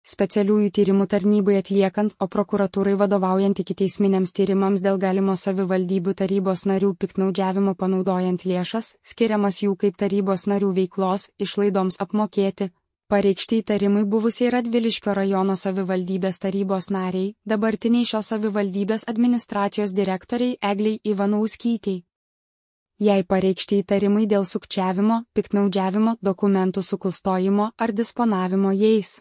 specialiųjų tyrimų tarnybai atliekant, o prokuratūrai vadovaujant ikiteisminiams tyrimams dėl galimo savivaldybių tarybos narių piktnaudžiavimo panaudojant lėšas, skiriamas jų kaip tarybos narių veiklos išlaidoms apmokėti. Pareikšti įtarimai buvusiai Radviliškio rajono savivaldybės tarybos nariai, dabartiniai šios savivaldybės administracijos direktoriai Egliai Ivanauskytei. Jei pareikšti įtarimai dėl sukčiavimo, piktnaudžiavimo, dokumentų suklastojimo ar disponavimo jais.